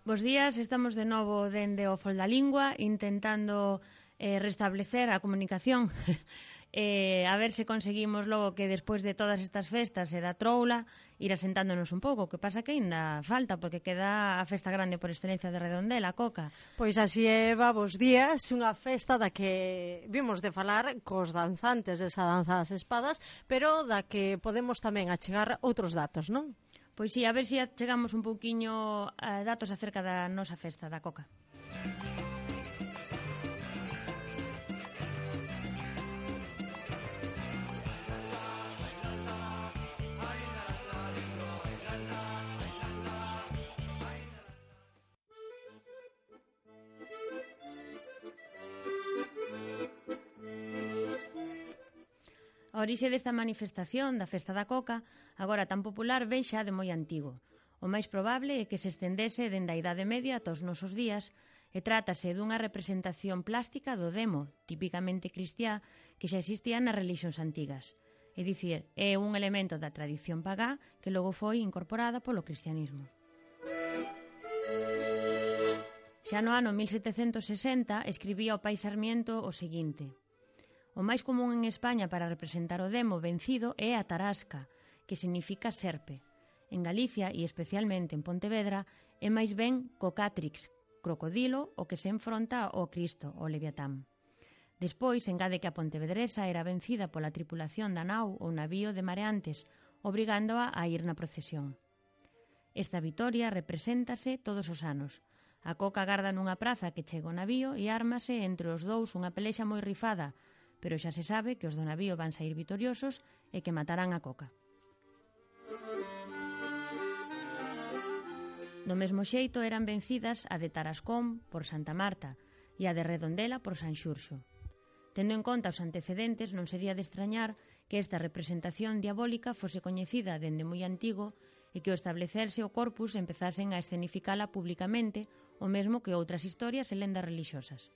Bos días, estamos de novo dende o Fol da Lingua intentando restablecer a comunicación a ver se conseguimos logo que despois de todas estas festas e da troula ir asentándonos un pouco, que pasa que ainda falta porque queda a festa grande por excelencia de Redondela, Coca. Pois así é, bos días, unha festa da que vimos de falar cos danzantes desa danza das espadas, pero da que podemos tamén achegar outros datos, non? Pois sí, a ver se chegamos un pouquiño a datos acerca da nosa festa da Coca. A orixe desta manifestación da Festa da Coca, agora tan popular, vén xa de moi antigo. O máis probable é que se estendese dende a Idade Media ata os nosos días e trátase dunha representación plástica do demo, tipicamente cristiá, que xa existía nas relixións antigas. É dicir, é un elemento da tradición pagá que logo foi incorporada polo cristianismo. Xa no ano 1760 escribía o pai Sarmiento o seguinte: o máis común en España para representar o demo vencido é a tarasca, que significa serpe. En Galicia, e especialmente en Pontevedra, é máis ben cocátrix, crocodilo, o que se enfronta ao Cristo, o Leviatán. Despois, engade que a pontevedresa era vencida pola tripulación da nau ou navío de mareantes, obrigándoa a ir na procesión. Esta vitoria represéntase todos os anos. A Coca garda nunha praza que chega o navío e ármase entre os dous unha pelexa moi rifada, pero xa se sabe que os do navío van sair vitoriosos e que matarán a Coca. Do mesmo xeito eran vencidas a de Tarascón por Santa Marta e a de Redondela por San Xurxo. Tendo en conta os antecedentes, non sería de extrañar que esta representación diabólica fose coñecida dende moi antigo e que ao establecerse o corpus empezasen a escenificala públicamente, o mesmo que outras historias e lendas religiosas.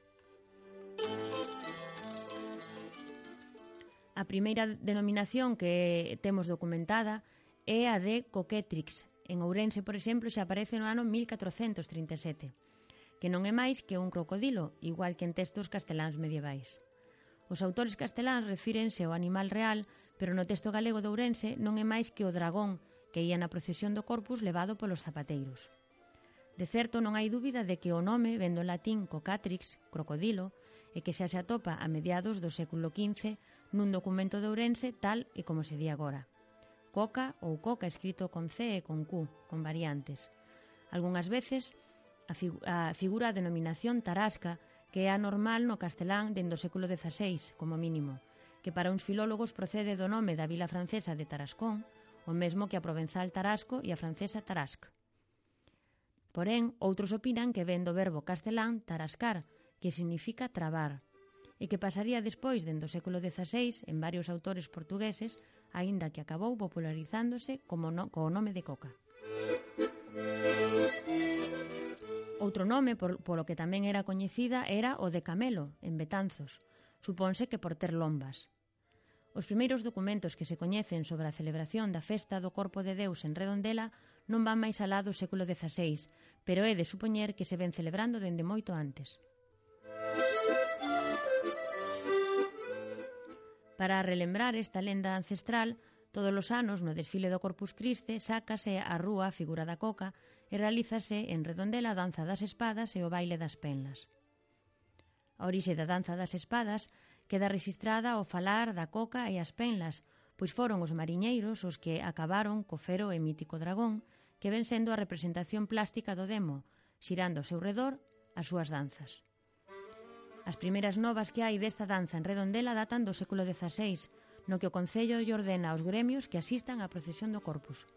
A primeira denominación que temos documentada é a de Coquetrix. En Ourense, por exemplo, xa aparece no ano 1437, que non é máis que un crocodilo, igual que en textos casteláns medievais. Os autores casteláns refírense ao animal real, pero no texto galego de Ourense non é máis que o dragón que ía na procesión do Corpus levado polos zapateiros. De certo, non hai dúbida de que o nome ven do latín cocatrix, crocodilo, e que xa se atopa a mediados do século XV nun documento de Ourense tal e como se di agora. Coca ou coca escrito con C e con Q, con variantes. Algunhas veces figura a denominación tarasca, que é a normal no castelán dende o século XVI, como mínimo, que para uns filólogos procede do nome da vila francesa de Tarascón, o mesmo que a provenzal Tarasco e a francesa Tarasque. Porén, outros opinan que ven do verbo castelán tarascar, que significa trabar, e que pasaría despois, dende o século XVI, en varios autores portugueses, aínda que acabou popularizándose co nome de coca. Outro nome polo que tamén era coñecida era o de Camelo, en Betanzos, suponse que por ter lombas. Os primeiros documentos que se coñecen sobre a celebración da festa do Corpo de Deus en Redondela non van máis alá do século XVI, pero é de supoñer que se ven celebrando dende moito antes. Para relembrar esta lenda ancestral, todos os anos no desfile do Corpus Christi sácase a rúa a figura da coca e realízase en Redondela a danza das espadas e o baile das penlas. A orixe da danza das espadas queda rexistrada ao falar da coca e as penlas, pois foron os mariñeiros os que acabaron co fero e mítico dragón, que ven sendo a representación plástica do demo, xirando ao seu redor as súas danzas. As primeiras novas que hai desta danza en Redondela datan do século XVI, no que o Concello lle ordena aos gremios que asistan á procesión do Corpus.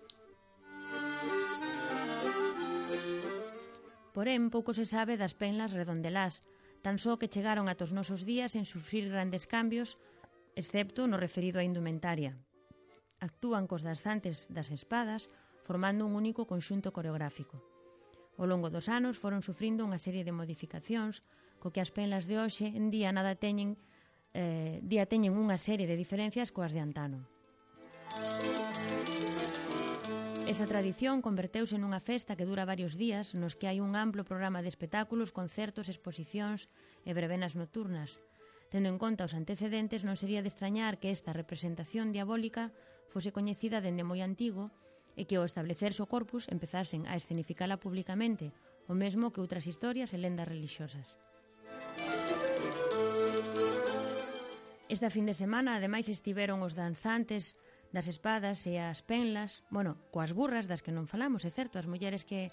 Porén, pouco se sabe das penlas redondelás, tan só que chegaron ata os nosos días en sufrir grandes cambios, excepto no referido á indumentaria. Actúan cos danzantes das espadas, formando un único conxunto coreográfico. Ao longo dos anos foron sufrindo unha serie de modificacións, co que as penlas de hoxe en día teñen unha serie de diferencias coas de antano. Esta tradición converteuse nunha festa que dura varios días nos que hai un amplo programa de espectáculos, concertos, exposicións e verbenas nocturnas. Tendo en conta os antecedentes, non sería de extrañar que esta representación diabólica fose coñecida dende moi antigo e que ao establecerse o corpus empezasen a escenificala públicamente, o mesmo que outras historias e lendas religiosas. Esta fin de semana, ademais, estiveron os danzantes das espadas e as penlas, coas burras das que non falamos, é certo, as mulleres que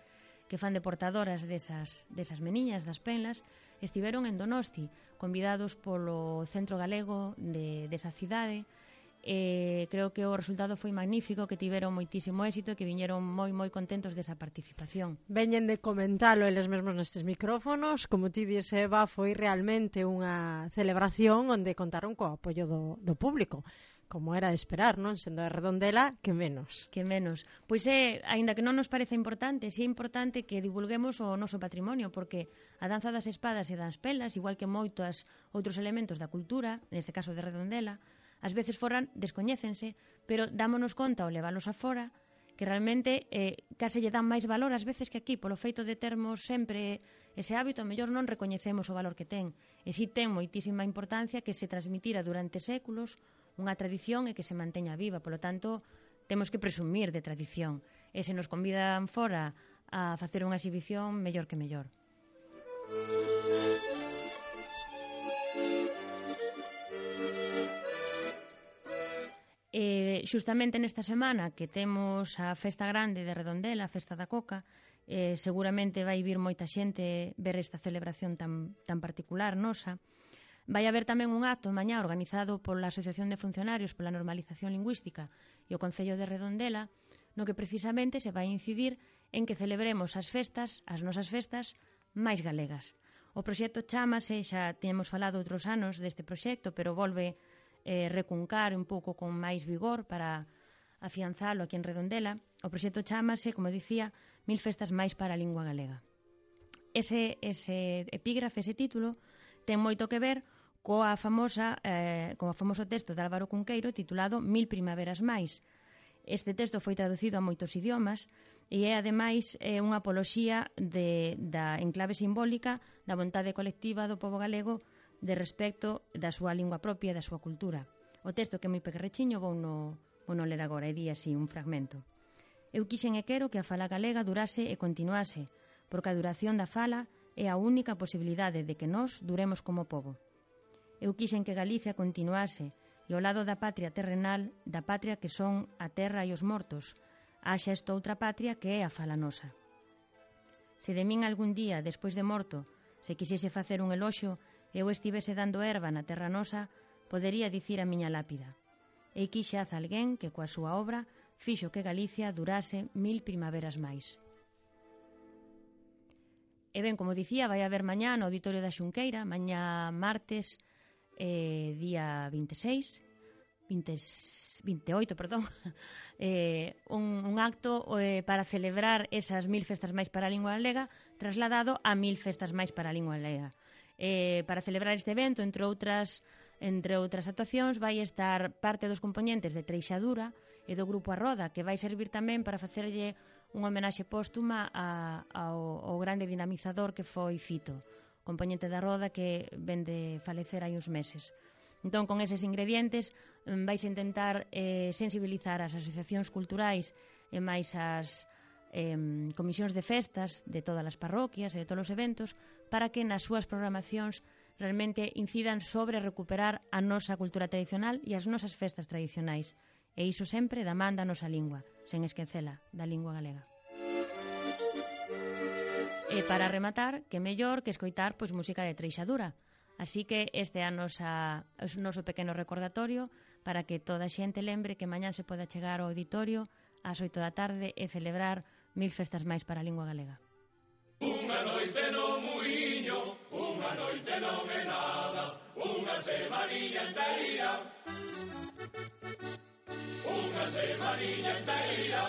fan de portadoras desas meniñas das penlas, estiveron en Donosti, convidados polo Centro Galego desa cidade. Creo que o resultado foi magnífico, que tiveron moitísimo éxito e que viñeron moi contentos desa participación. Veñen de comentalo eles mesmos nestes micrófonos, como ti dixes, Eva, foi realmente unha celebración onde contaron co apoio do público. Como era de esperar, non? Sendo de Redondela, que menos. Que menos. Pois aínda que non nos parece importante, é importante que divulguemos o noso patrimonio, porque a danza das espadas e das pelas, igual que moitos outros elementos da cultura, neste caso de Redondela, ás veces descoñécense, pero dámonos conta ao leválos afora que realmente case lle dan máis valor ás veces que aquí, polo feito de termos sempre ese hábito, a mellor non recoñecemos o valor que ten. E si ten moitísima importancia que se transmitira durante séculos unha tradición e que se manteña viva. Polo tanto, temos que presumir de tradición. E se nos convidan fora a facer unha exhibición, mellor que mellor. Xustamente nesta semana que temos a Festa Grande de Redondela, a Festa da Coca, seguramente vai vir moita xente ver esta celebración tan particular nosa. Vai haber tamén un acto mañá organizado pola Asociación de Funcionarios pola Normalización Lingüística e o Concello de Redondela, no que precisamente se vai incidir en que celebremos as nosas festas máis galegas. O proxecto chámase, xa temos falado outros anos deste proxecto, pero volve recuncar un pouco con máis vigor para afianzalo aquí en Redondela. O proxecto chámase, como dicía, 1000 festas máis para a lingua galega. Ese epígrafe, ese título, ten moito que ver co famoso texto de Álvaro Cunqueiro titulado 1000 primaveras máis. Este texto foi traducido a moitos idiomas e é, ademais, unha apoloxía da enclave simbólica da vontade colectiva do pobo galego de respecto da súa lingua propia e da súa cultura. O texto, que é moi pequerrechiño, vou non ler agora, e di así un fragmento. Eu quixen e quero que a fala galega durase e continuase, porque a duración da fala é a única posibilidade de que nós duremos como pobo. Eu quixen que Galicia continuase e ao lado da patria terrenal, da patria que son a terra e os mortos, haxa esta outra patria que é a fala nosa. Se de min algún día, despois de morto, se quixese facer un eloxo e eu estivese dando erva na terra nosa, podería dicir a miña lápida: e quixaz alguén que coa súa obra fixo que Galicia durase 1000 primaveras máis. E ben, como dicía, vai haber mañá no Auditorio da Xunqueira, mañá martes, día 28, un acto para celebrar esas 1000 festas máis para a lingua galega, trasladado a 1000 festas máis para a lingua galega. Para celebrar este evento, entre outras actuacións, vai estar parte dos componentes de Treixadura e do Grupo A Roda, que vai servir tamén para facerlle unha homenaxe póstuma ao grande dinamizador que foi Fito, componente da Roda que ven de falecer hai uns meses. Entón, con eses ingredientes, vais intentar sensibilizar as asociacións culturais e máis as comisións de festas de todas as parroquias e de todos os eventos para que nas súas programacións realmente incidan sobre recuperar a nosa cultura tradicional e as nosas festas tradicionais. E iso sempre da man da nosa lingua, sen esquecela, da lingua galega. E para rematar, que mellor que escoitar música de Treixadura. Así que este é o noso pequeno recordatorio para que toda a xente lembre que mañán se poda chegar ao auditorio ás 8 da tarde e celebrar 1000 festas máis para a lingua galega. Unha noite no muiño, unha noite non é nada, unha semaniña inteira. Unha semaniña inteira.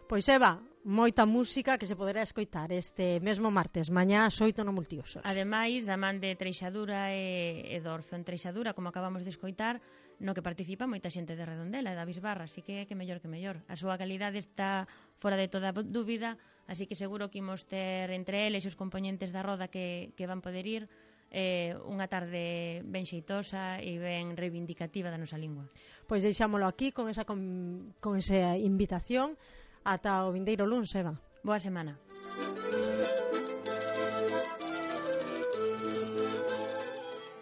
Pois Eva, moita música que se poderá escoitar este mesmo martes, mañá ás 8 no Multiusos. Ademais, da man de Treixadura e do Orzo en Treixadura, como acabamos de escoitar, no que participa moita xente de Redondela e da Bisbarra, así que mellor que mellor. A súa calidade está fora de toda dúbida, así que seguro que imos ter entre eles os componentes da roda que van poder ir unha tarde ben xeitosa e ben reivindicativa da nosa lingua. Pois deixámolo aquí con esa invitación ata o vindeiro luns, Eva. Boa semana.